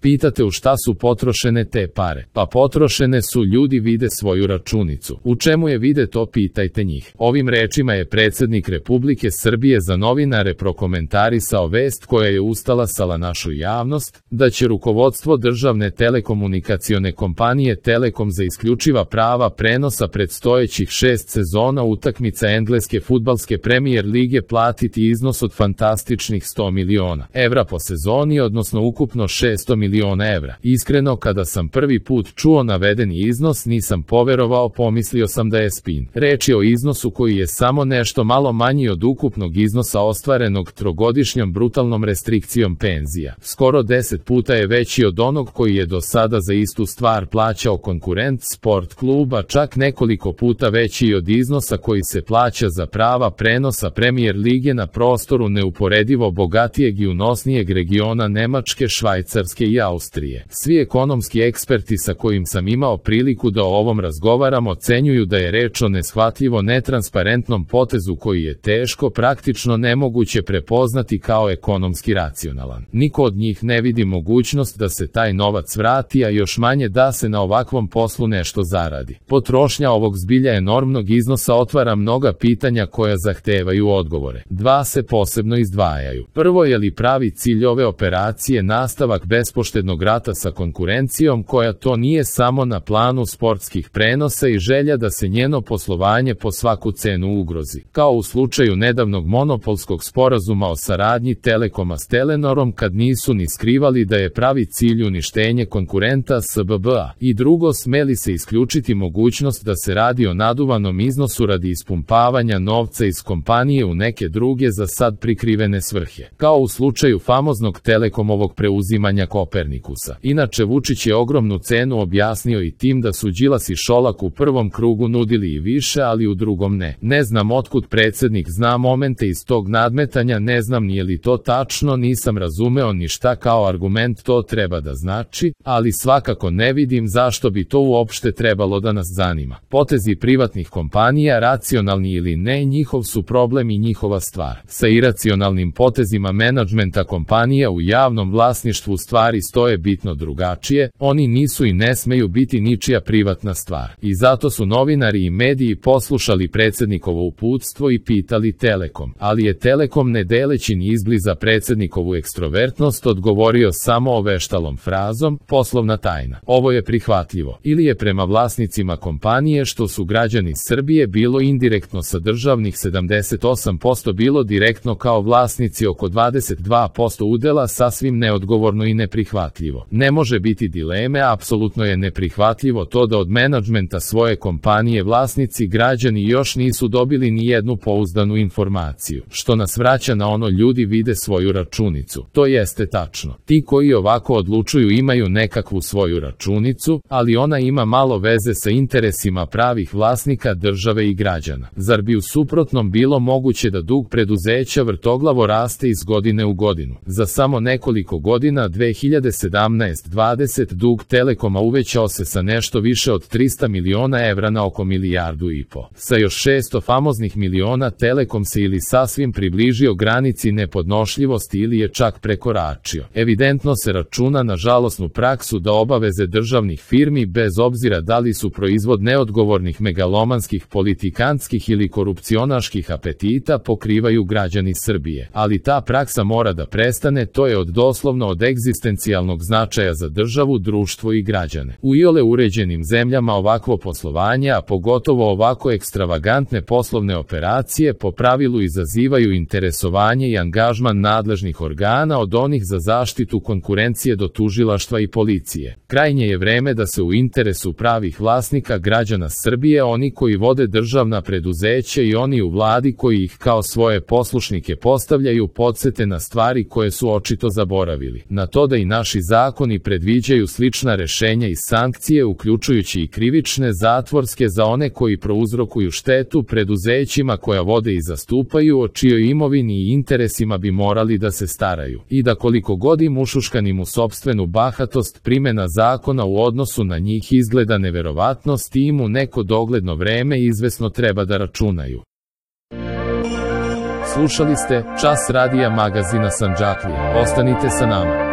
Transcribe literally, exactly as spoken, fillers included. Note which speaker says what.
Speaker 1: Pitate u šta su potrošene te pare? Pa potrošene su, ljudi vide svoju računicu. U čemu je vide, to pitajte njih. Ovim rečima je predsjednik Republike Srbije za novinare prokomentarisao vest koja je ustalasala našu javnost, da će rukovodstvo državne telekomunikacione kompanije Telekom za isključiva prava prenosa predstojećih šest sezona utakmica engleske fudbalske premijer lige platiti iznos od fantastičnih sto miliona evra po sezoni, odnosno ukupno šesto miliona evra. Iskreno, kada sam prvi put čuo navedeni iznos, nisam poverovao, pomislio sam da je spin. Reč je o iznosu koji je samo nešto malo manji od ukupnog iznosa ostvarenog trogodišnjom brutalnom restrikcijom penzija. Skoro deset puta je veći od onog koji je do sada za istu stvar plaćao konkurent Sport kluba, čak nekoliko puta veći od iznosa koji se plaća za prava prenosa Premier lige na prostoru neuporedivo bogatijeg i unosnijeg regiona Nemačke, Švajcarske i Austrije. Svi ekonomski eksperti sa kojim sam imao priliku da o ovom razgovaram ocenjuju da je reč o neshvatljivo netransparentnom potezu koji je teško, praktično nemoguće prepoznati kao ekonomski racionalan. Niko od njih ne vidi mogućnost da se taj novac vrati, a još manje da se na ovakvom poslu nešto zaradi. Potrošnja ovog zbilja enormnog iznosa otvara mnoga pitanja koja zahtevaju odgovore. Dva se posebno izdvajaju. Prvo, je li pravi cilj ove operacije nastavak bespoštednog rata sa konkurencijom koja to nije samo na planu sportskih prenosa i želja da se njeno poslovanje po svaku cenu ugrozi, kao u slučaju nedavnog monopolskog sporazuma o saradnji Telekoma s Telenorom, kad nisu ni skrivali da je pravi cilj uništenje konkurenta S B B A. I drugo, smeli se isključiti mogućnost da se radi o naduvanom iznosu radi ispumpavanja novca iz kompanije u neke druge za sad prikrivene svrhe, kao u slučaju famoznog Telekomovog preuzimanja Kopernikusa. Inače, Vučić je ogromnu cenu objasnio i tim da su Đilas i Šolak u prvom krugu nudili i više, ali u drugom ne. Ne znam otkud predsjednik zna momente iz tog nadmetanja, ne znam nije li to tačno, nisam razumeo ni šta kao argument to treba da znači, ali svakako ne vidim zašto bi to uopšte trebalo da nas zanima. Potezi privatnih kompanija, racionalni ili ne, njihov su problem i njihova stvar. Sa iracionalnim potezima menadžmenta kompanija u javnom vlasništvu stvari stoje bitno drugačije, oni nisu i ne smeju biti ničija privatna stvar. I zato su novinari i mediji poslušali predsjednikovo uputstvo i pitali Telekom, ali je Telekom, ne deleći ni izbliza predsjednikovu ekstrovertnost, odgovorio samo oveštalom frazom: poslovna tajna. Ovo je prihvatljivo. Ili je prema vlasnicima kompanije, što su građani Srbije, bilo indirektno sa državnih sedamdeset osam posto, bilo direktno kao vlasnici oko dvadeset dva posto udela, sasvim neodgovorno i neprihvatljivo. Ne može biti dileme, apsolutno je neprihvatljivo to da od menadžmenta svoje kompanije vlasnici građani još nisu dobili ni jednu pouzdanu informaciju, što nas vraća na ono: ljudi vide svoju računicu. To jeste tačno. Ti koji ovako odlučuju imaju nekakvu svoju računicu, ali ona ima malo veze sa interesima pravih vlasnika, države i građana. Zar bi u suprotnom bilo moguće da dug preduzeća vrtoglavo raste iz godine u godinu? Za samo nekoliko godina, dve hiljade sedamnaeste do dvadesete, dug Telekoma uvećao se sa nešto više od trista miliona evra na oko milijardu i po. Sa još šesto famoznih miliona Telekom se ili sasvim približio granici nepodnošljivosti ili je čak prekoračio. Evidentno se računa na žalosnu praksu da obaveze državnih firmi, bez obzira da li su proizvod neodgovornih megalomanskih, politikantskih ili korupcionaških apetita, pokrivaju građani Srbije. Ali ta praksa mora da prestane, to je od doslovno od egzistencijalnog značaja za državu, društvo i građane. U iole uređenim zemljama ovakvo poslovanje, a pogotovo ovako ekstravagantne poslovne operacije, po pravilu izazivaju interesovanje i angažman nadležnih organa, od onih za zaštitu konkurencije do tužilaštva i policije. Krajnje je vreme da se u interesu pravih vlasnika, građana Srbije, oni koji vode državna preduzeća i oni u vladi koji ih kao svoje poslušnike postavljaju, podsete na stvari koje su očito zaboravili. Na to da i naši zakoni predviđaju slična rešenja i sankcije, uključujući i krivične, zatvorske, za one koji prouzrokuju štetu preduzećima koja vode i zastupaju, o čijoj imovini i interesima bi morali da se staraju. I da koliko god im ušuškanim u sopstvenu bahatost, primena zakona u odnosu na njih izgleda neverovatno, s tim u neko dogledno vreme izvesno treba da računaju. Slušali ste Čas radija magazina Sandžaklija. Ostanite sa nama.